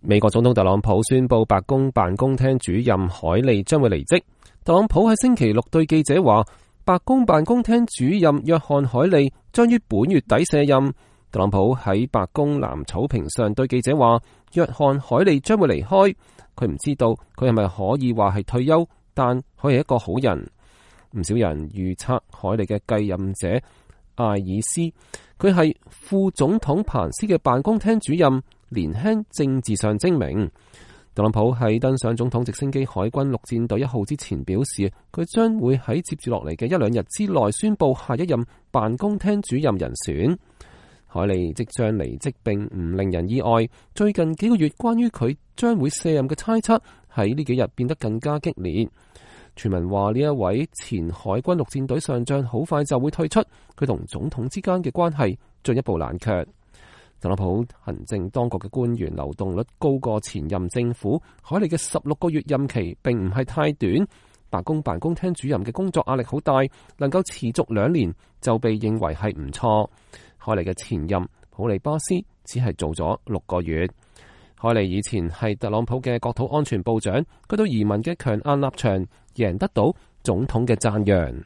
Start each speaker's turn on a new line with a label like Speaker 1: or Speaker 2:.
Speaker 1: 美國總統特朗普宣布白宮辦公廳主任凱利將會離職。特朗普喺星期六對記者話，白宮辦公廳主任約翰凱利將於本月底卸任。特朗普喺白宮藍草坪上對記者話，約翰凱利將會離開。佢唔知道佢係咪可以話係退休，但佢係一個好人。唔少人預測凱利嘅繼任者艾爾斯，佢係副總統彭斯嘅辦公廳主任，年輕，政治上精明。特朗普喺登上總統直升機海軍陸戰隊1號之前表示，佢將會喺接住落嚟嘅1-2日之內宣布下一任辦公廳主任人選。凱利即將離職並唔令人意外，最近幾個月關於佢將會卸任嘅猜測喺呢幾日變得更加激烈。傳聞話呢一位前海軍陸戰隊上將好快就會退出，佢同總統之間嘅關係進一步冷卻。特朗普行政當局嘅官員流動率高過前任政府，凱利嘅16個月任期並唔係太短。白宮辦公廳主任嘅工作壓力好大，能夠持續2年就被認為係唔錯。凱利嘅前任普利巴斯只係做咗6個月。凱利以前係特朗普嘅國土安全部長，佢對移民嘅強硬立場贏得到總統嘅讚揚。